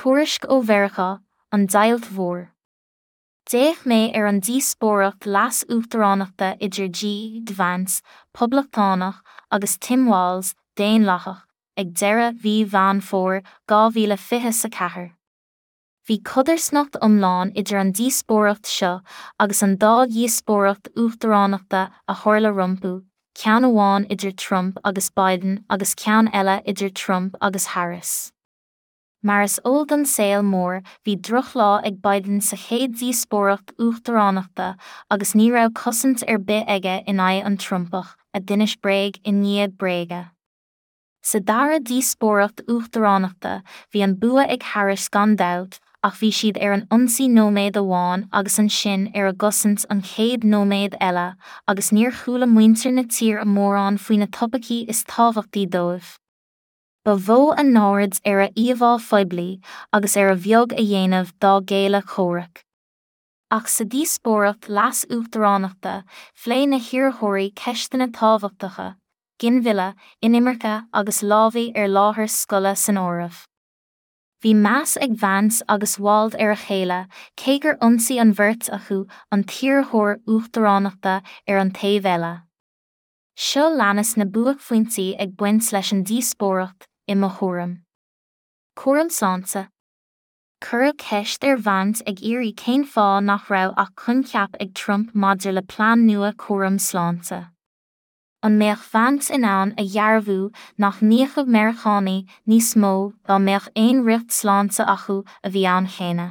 Tuairisc ó Mheiriceá, An Deighilt Mhór. D'fhéach mé ar an díospóireacht leas-uachtaránachta idir J. D. Vance, Poblachtánach, agus Tim Walz, Daonlathach, ag deireadh mhí Mheán Fómhair 2024. Bhí codarsnacht iomlán idir an díospóireacht seo agus an dá dhíospóireacht uachtaránachta a tharla rompu, ceann amháin idir Trump agus Biden agus ceann eile idir Trump agus Harris. Mar is eol don saol mór, bhí drochlá ag Biden sa chéad díospóireacht uachtaránachta agus ní raibh cosaint ar bith aige in aghaidh an Trumpach, a d'inis bréag i ndiaidh bréige. Sa dara díospóireacht uachtaránachta, bhí an bua ag Harris gan dabht, ach bhí siad ar an ionsaí nóiméad amháin agus ansin ar a gcosaint an chéad nóiméad eile agus níor chuala muintir na tíre mórán faoi na topaicí is tábhachtaí dóibh. Ba mhó a n-aird ar a íomhá phoiblí agus ar a bheag a dhéanamh dá gcéile comhraic. Ach sa díospóireacht leas-uachtaránachta, phléigh na hiarrthóirí ceisteanna tábhachtacha, ginmhilleadh, inimirce agus lámhaigh ar láthair scoile san áireamh. Bhí meas ag Vance agus Walz ar a chéile, cé gur ionsaigh an bheirt acu an t-iarrthóir uachtaránachta ar an taobh eile. Seo leanas na buaicphointí ag baint leis an díospóireacht, i mo thuairim. Cúram sláinte. Cuireadh ceist ar Vance ag iarraidh cén fáth nach raibh ach coincheap ag Trump maidir le plean nua cúram sláinte. An mbeadh Vance in ann a dhearbhú nach n-íocfadh Meiriceánaigh níos mó dá mbeadh aon riocht sláinte acu a bhí ann cheana?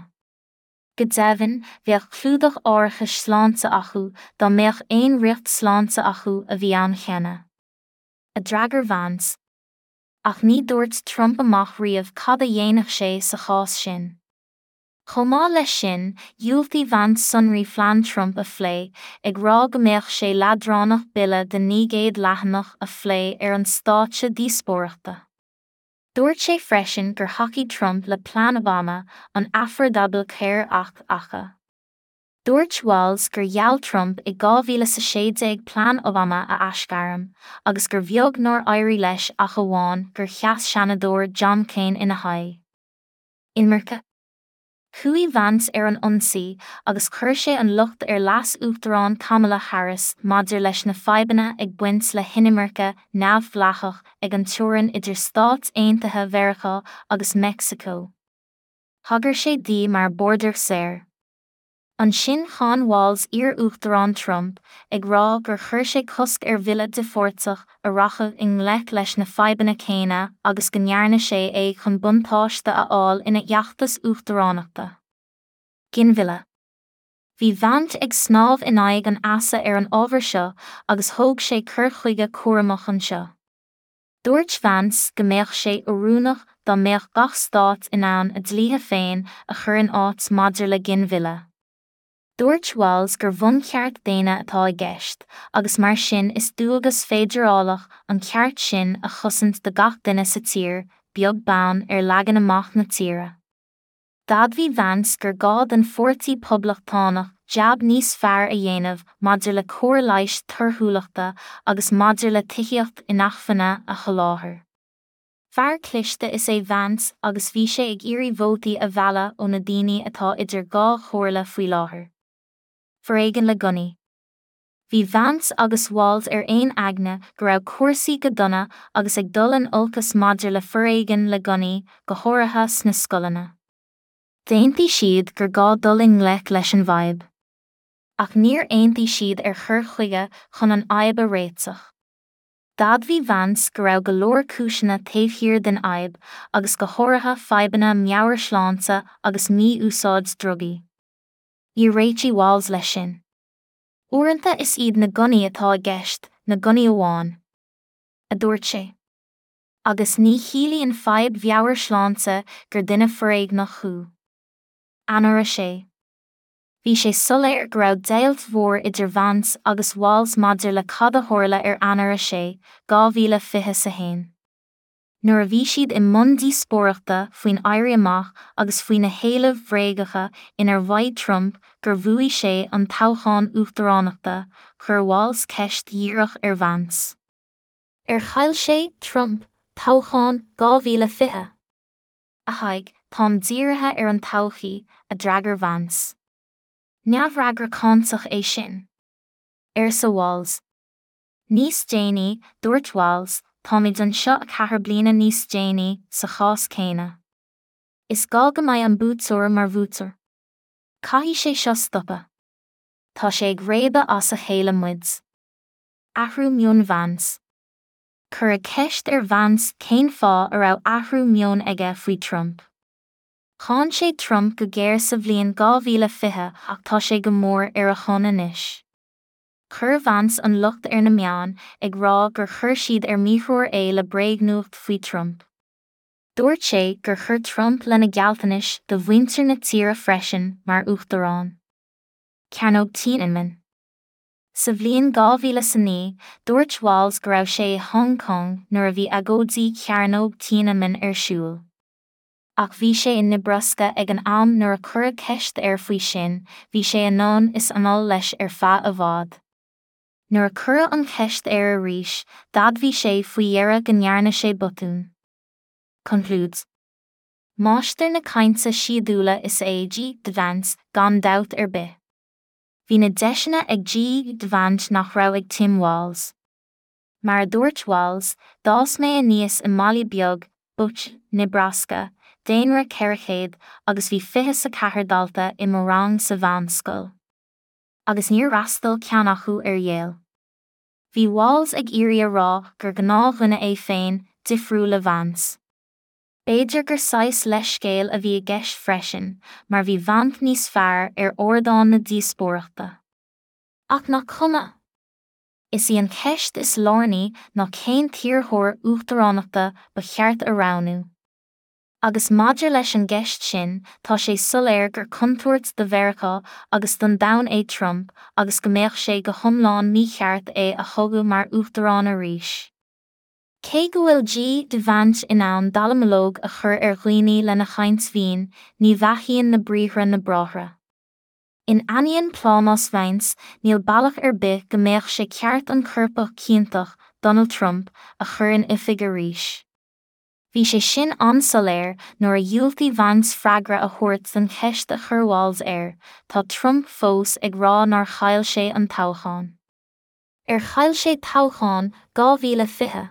Go deimhin, bheadh clúdach árachais sláinte acu dá mbeadh aon riocht sláinte acu a bhí ann cheana. A d'fhreagair Vance. Ach ní dúirt Trump amach riamh cad a dhéanfadh sé sa chás sin. Chomh maith leis sin, dhiúltaigh Vance sonraí phlean Trump a phlé, ag rá go mbeadh sé leadránach bille de 900 leathanach a phlé ar an stáitse díospóireachta. Dúirt sé freisin gur thacaigh Trump le plean Obama, an Affordable Care Act, aca. Dúirt Walz gur gheall Trump i 2016 plean Obama a aisghairm, agus gur bheag nár éirigh leis ach amháin gur sheas Seanadóir John McCain ina haghaidh. Imirce. Chuaigh Vance ar an ionsaí agus chuir sé an locht ar Leas-Uachtarán Kamala Harris maidir leis na fadhbanna ag baint le hinimirce neamhdhleathach ag an teorainn idir Stáit Aontaithe Mheiriceá agus Meicsiceo. Thagair sé di mar 'border czar'. Ansin cháin Walz iar-Uachtarán Trump, ag rá gur chuir sé cosc ar bhille difhárteach a rachadh i ngleic leis na fadhbanna céanna agus go ndearna sé é chun buntáiste a fháil ina fheachtas uachtaránachta. Ginmhilleadh. Bhí Vance ag snámh in aghaidh an easa ar an ábhar seo agus thóg sé cur chuige cúramach anseo. Dúirt Vance go mbeadh sé oiriúnach dá mbeadh gach stát in ann a dlíthe féin a chur in áit maidir le ginmhilleadh. Dúirt Walz gur bhuncheart daonna atá i gceist agus mar sin is dualgas feidearálach an ceart sin a chosaint do gach duine sa tír, beag beann ar leagan amach na tíre. D'admhaigh Vance gur gá don Pháirtí Poblachtánach jab níos fearr a dhéanamh maidir le cóir leighis torthúlachta agus maidir le tithíocht inacmhainne a sholáthar. Fear cliste is ea Vance agus bhí sé ag iarraidh vótaí a mhealladh ó na daoine atá idir dhá chomhairle faoi láthair. Foréigean le gunnaí. Bhí Vance agus Walz ar aon aigne go raibh cúrsaí go dona agus ag dul in olcas maidir le foréigean le gunnaí, go háirithe sna scoileanna. D'aontaigh siad gur gá dul i ngleic leis an bhfadhb. Ach níor aontaigh siad ar chur chuige chun an fhadhb a réiteach. D'admhaigh Vance go raibh go leor cúiseanna taobh thiar den fhadhb agus go háirithe fadhbanna meabhairshláinte agus mí-úsáid drugaí. Níor réitigh Walz leis sin. Uaireanta is iad na gunnaí atá i gceist, na gunnaí amháin. a dúirt sé. Agus ní chiallaíonn fadhb mheabhairshláinte gur duine foréigneach thú. Eanáir 6. Bhí sé soiléir go raibh deighilt mhór idir Vance agus Walz maidir le cad a tharla ar Eanáir 6, 2021. Nuair a bhí siad i mbun díospóireachta faoin Éirí Amach agus faoi na héilimh bhréagacha inar mhaígh Trump gur bhuaigh sé an toghchán uachtaránachta, chuir Walz ceist dhíreach ar Vance. Ar chaill sé, Trump, toghchán 2020? A Thaidhg, Táim dírithe ar an todhchaí, a d'fhreagair Vance. Neamhfhreagra cáinteach é sin. Arsa Walz. Níos déanaí, dúirt Walz, Táimid anseo 4 bliana níos déanaí, sa chás céanna. Is gá go mbeidh an buaiteoir mar bhuaiteoir. Caithfidh sé seo stopadh. Tá sé ag réabadh as a chéile muid. Athrú meoin Vance. Cuireadh ceist ar Vance cén fáth a raibh athrú meoin aige faoi Trump. Cháin sé Trump go géar sa bhliain 2020 ach tá sé go mór ar a shon anois. Chuir Vance an locht ar na meáin, ag rá gur chuir siad ar míthreoir é le bréagnuacht faoi Trump. Dúirt sé gur chuir Trump lena ghealltanais do mhuintir na tíre freisin mar uachtarán. Cearnóg Tiananmen. Sa bhliain 2009, dúirt Walz go raibh sé i Hong Kong nuair a bhí agóidí Chearnóg Tiananmen ar siúl. Ach bhí sé i Nebraska ag an am nuair a cuireadh ceist air faoi sin, bhí sé anonn is anall leis ar feadh i bhfad. Nuair a cuireadh an cheist air arís, d'admhaigh sé faoi dheireadh go ndearna sé botún. Concludes. Máistir na cainte síodúla is ea J. D. Vance, gan dabht ar bith. Bhí na deiseanna ag J. D. Vance nach raibh ag Tim Walz. Mar a dúirt Walz, d'fhás mé aníos i mbaile beag, Butte, Nebraska, daonra 400, agus bhí 24 dalta i mo rang sa mheánscoil. Agus níor fhreastail ceann acu ar Yale. Bhí Walz ag iarraidh a rá gur gnáthdhuine é féin, difriúil le Vance. B'fhéidir gur saghas leithscéil a bhí i gceist freisin, mar bhí Vance níos fearr ar ardán na díospóireachta. Ach nach cuma? Is í an cheist is lárnaí ná cén t-iarrthóir uachtaránachta ba cheart a roghnú. Agus maidir leis an gceist sin, tá sé soiléir gur contúirt do Mheiriceá agus don domhan é Trump agus go mbeadh sé go hiomlán mícheart é a thoghadh mar uachtarán arís. Cé go bhfuil J. D. Vance in ann dallamullóg a chur ar dhaoine lena chaint mhín, ní bheathaíonn na briathra na bráithre. In ainneoin plámás Vance, níl bealach ar bith go mbeadh sé ceart an coirpeach ciontach, Donald Trump, a chur in oifig arís. Bhí sé sin an-soiléir nuair a dhiúltaigh Vance freagra a thabhairt don cheist a chuir Walz air, tá Trump fós ag rá nár chaill sé an toghchán. Ar chaill sé toghchán 2020?